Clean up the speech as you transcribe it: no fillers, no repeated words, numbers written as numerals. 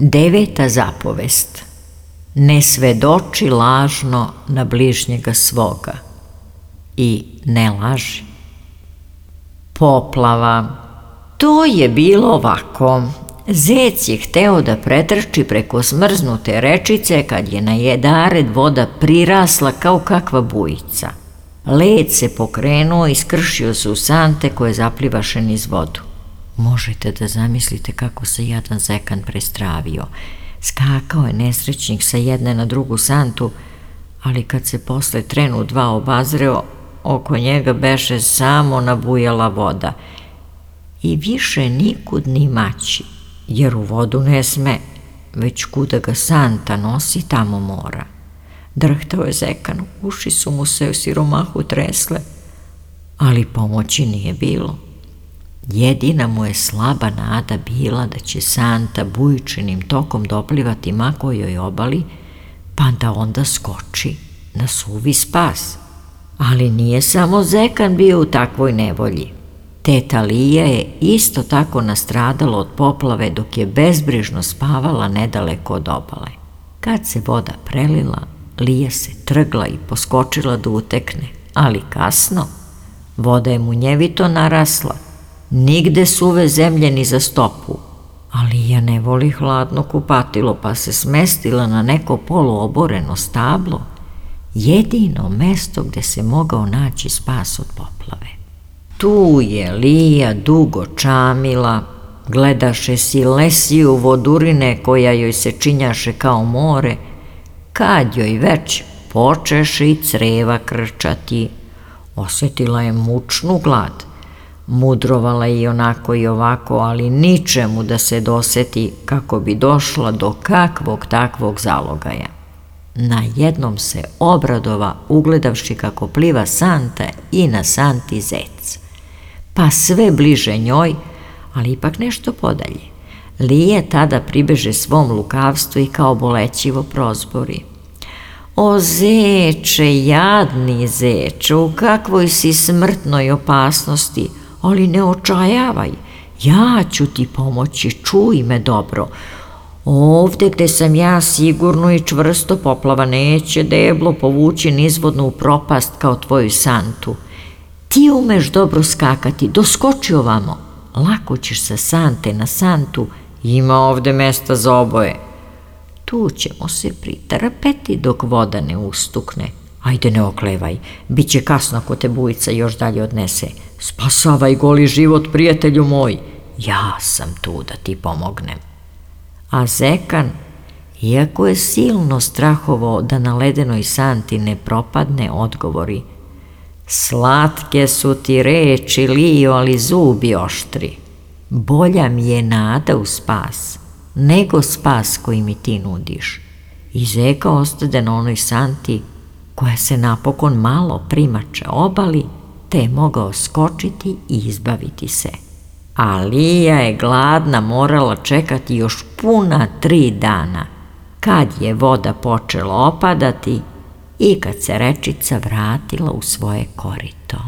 Deveta zapovest. Ne svedoči lažno na bližnjega svoga i ne laži. Poplava. To je bilo ovako. Zec je hteo da pretrči preko smrznute rečice kad je na jedared voda prirasla kao kakva bujica. Led se pokrenuo i skršio se u sante koje zaplivaše niz vodu. Možete da zamislite kako se jadan zekan prestravio. Skakao je nesrećnik sa jedne na drugu santu, ali kad se posle trenu dva obazreo, oko njega beše samo nabujala voda. I više nikud ni maći, jer u vodu ne sme, već kuda ga santa nosi, tamo mora. Drhtao je zekan, uši su mu se u siromahu tresle, ali pomoći nije bilo. Jedina mu je slaba nada bila da će santa bujičenim tokom doplivati ma kojoj obali, pa da onda skoči na suvi spas. Ali nije samo zekan bio u takvoj nevolji. Teta Lija je isto tako nastradala od poplave dok je bezbrižno spavala nedaleko od obale. Kad se voda prelila, Lija se trgla i poskočila da utekne, ali kasno. Voda je munjevito narasla, nigde suve zemlje ni za stopu, a Lija ne voli hladno kupatilo, pa se smestila na neko poluoboreno stablo, jedino mesto gde se mogao naći spas od poplave. Tu je Lija dugo čamila, gledaše silesiju vodurine koja joj se činjaše kao more, kad joj već počeše i creva krčati. Osjetila je mučnu glad, mudrovala je i onako i ovako, ali ničemu da se doseti kako bi došla do kakvog takvog zalogaja. Najednom se obradova ugledavši kako pliva santa i na santi zec. Pa sve bliže njoj, ali ipak nešto podalje. Lije tada pribeže svom lukavstvu i kao bolećivo prozbori. O zeče, jadni zeče, u kakvoj si smrtnoj opasnosti, ali ne očajavaj, ja ću ti pomoći, čuj me dobro. Ovde gde sam ja sigurno i čvrsto, poplava neće deblo povući nizvodno u propast kao tvoju santu. Ti umeš dobro skakati, doskoči ovamo, lako ćeš sa sante na santu, ima ovde mesta za oboje. Tu ćemo se pritrpeti dok voda ne ustukne. Ajde, ne oklevaj, bit će kasno ako te bujica još dalje odnese. Spasavaj goli život, prijatelju moj, ja sam tu da ti pomognem. A zekan, iako je silno strahovao da na ledenoj santi ne propadne, odgovori: slatke su ti reči, Lijo, ali zubi oštri. Bolja mi je nada u spas, nego spas koji mi ti nudiš. I zeka ostade na onoj santi koja se napokon malo primače obali, te je mogao skočiti i izbaviti se. A Lija je gladna morala čekati još puna 3 dana, kad je voda počela opadati i kad se rečica vratila u svoje korito.